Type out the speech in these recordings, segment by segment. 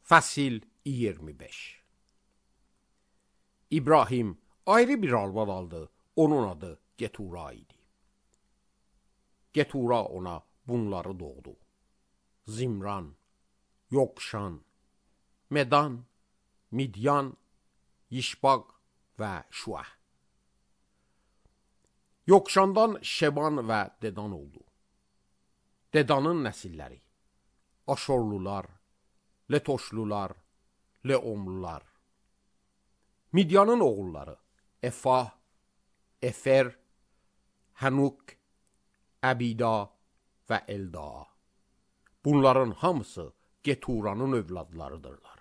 Fəsil 25. İbrahim ayrı bir arvad aldı. Onun adı Getura idi. Getura ona bunları doğdu: Zimran, Yokşan, Medan, Midyan, Yişbaq və Şuah. Yokşandan Şeban və Dedan oldu. Dedanın nəsilləri: Aşorlular, Letoşlular, Leomlular. Midyanın oğulları: Efah, Efer, Hanuk, Əbida və Elda. Bunların hamısı Geturanın övladlarıdırlar.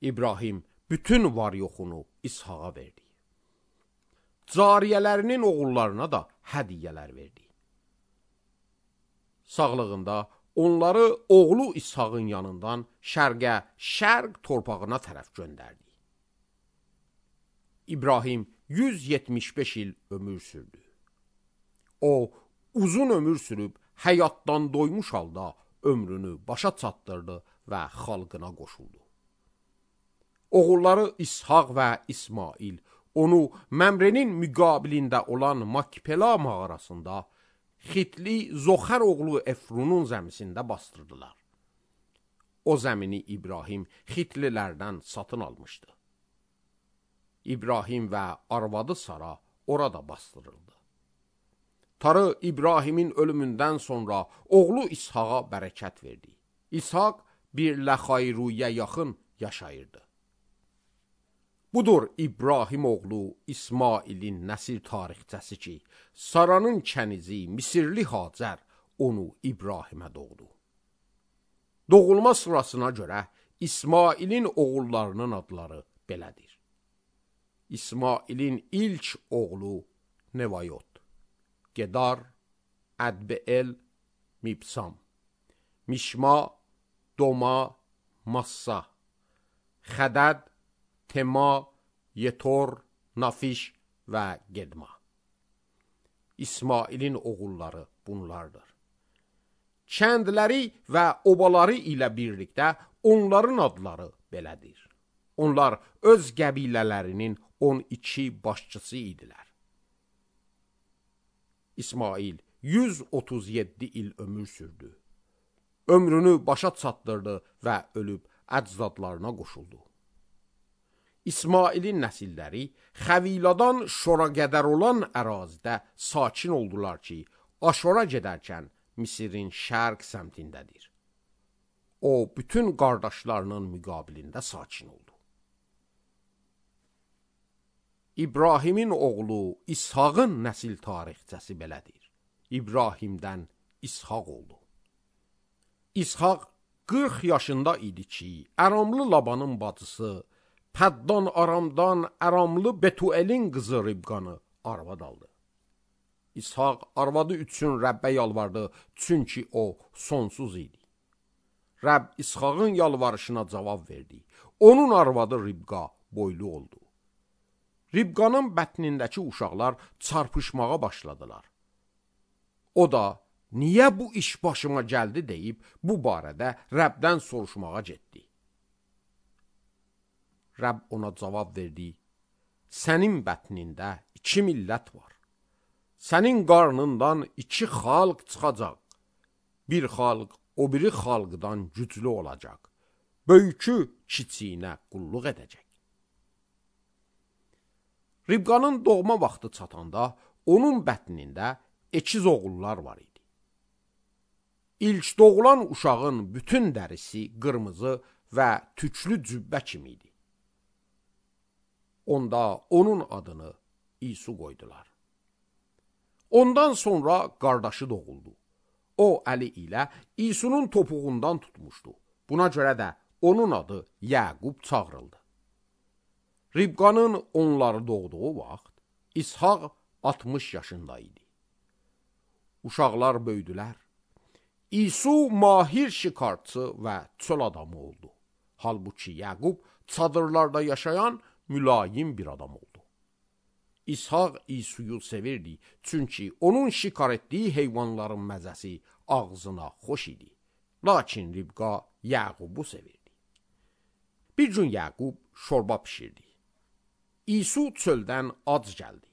İbrahim bütün var yoxunu İshaqa verdi. Cariyələrinin oğullarına da hədiyyələr verdi. Sağlığında onları oğlu İshaqın yanından şərq torpağına tərəf göndərdi. İbrahim 175 il ömür sürdü. O uzun ömür sürüb həyatdan doymuş halda ömrünü başa çatdırdı və xalqına qoşuldu. Oğulları İshaq və İsmail onu Məmrenin müqabilində olan Makpela mağarasında Xitli Zoxər oğlu Efrunun zəmisində bastırdılar. O zəmini İbrahim Xitlilərdən satın almışdı. İbrahim və arvadı Sara orada bastırıldı. Tanrı İbrahimin ölümündən sonra oğlu İshaqa bərəkət verdi. İshaq bir Ləxayruyə yaxın yaşayırdı. Budur İbrahim oğlu İsmailin nəsil tarixçəsi ki, Saranın kənizi Misirli Hacər onu İbrahimə doğdu. Doğulma sırasına görə İsmailin oğullarının adları belədir. İsmailin ilk oğlu Nevayot, Gedar, Ədbeel, Mibsam, Mişma, Doma, Massa, Xədəd, Tema, Yetor, Nafiş və Gedma. İsmailin oğulları bunlardır. Kəndləri və obaları ilə birlikdə onların adları belədir. Onlar öz qəbilələrinin 12 başçısı idilər. İsmail 137 il ömür sürdü. Ömrünü başa çatdırdı və ölüb əcdadlarına qoşuldu. İsmailin nəsilləri Xəviladan Şora qədər olan ərazidə sakin oldular ki, Aşora gedərkən Misirin şərq səmtindədir. O, bütün qardaşlarının müqabilində sakin oldu. İbrahimin oğlu İshaqın nəsil tarixçəsi belədir. İbrahimdən İshaq oldu. İshaq 40 yaşında idi ki, Əramlı Labanın bacısı Pəddan Aramdan Əramlı Betuelin qızı Ribqanı arvad aldı. İshaq arvadı üçün Rəbbə yalvardı, çünki o sonsuz idi. Rəbb İshaqın yalvarışına cavab verdi. Onun arvadı Ribqa boylu oldu. Ribqanın bətnindəki uşaqlar çarpışmağa başladılar. O da, niyə bu iş başıma gəldi deyib, bu barədə Rəbdən soruşmağa getdi. Rəbb ona cavab verdi: Sənin bətnində 2 millət var. Sənin qarnından 2 xalq çıxacaq. Bir xalq o biri xalqdan güclü olacaq. Böyükü kiçiyinə qulluq edəcək. Ribqanın doğma vaxtı çatanda onun bətnində ekiz oğullar var idi. İlk doğulan uşağın bütün dərisi qırmızı və tüklü cübbə kimi idi. Onda onun adını İsu qoydular. Ondan sonra qardaşı doğuldu. O əli ilə İsunun topuğundan tutmuşdu. Buna görə də onun adı Yaqub çağırıldı. Ribqanın onları doğduğu vaxt İshaq 60 yaşında idi. Uşaqlar böyüdülər. İsu mahir şikarçı və çöl adamı oldu. Halbuki Yaqub çadırlarda yaşayan mülayim bir adam oldu. İshaq İsuyu sevirdi, çünki onun şikar etdiyi heyvanların məzəsi ağzına xoş idi. Lakin Ribqa Yaqubu sevirdi. Bir gün Yaqub şorba pişirdi. İsu çöldən ac gəldi.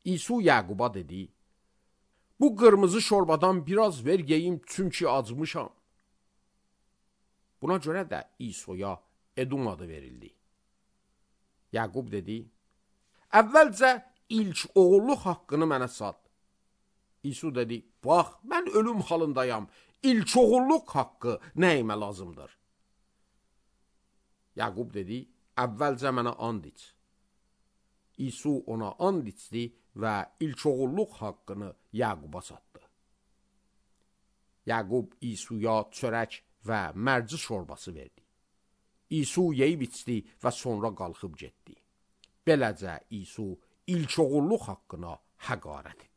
İsu Yaquba dedi, bu qırmızı şorbadan biraz ver yeyim çünki acmışam. Buna görə də İsuya Edom adı verildi. Yaqub dedi, əvvəlcə ilk oğulluq haqqını mənə sat. İsu dedi, bax, mən ölüm halındayam, ilk oğulluq haqqı nəyimə lazımdır? Yaqub dedi, əvvəlcə mənə and iç. İsu ona and içdi və ilk oğulluq haqqını Yaquba satdı. Yaqub İsuya çörək və mərci şorbası verdi. İsu yeyib içdi və sonra qalxıb getdi. Beləcə İsu ilk oğulluq haqqına həqarət etdi.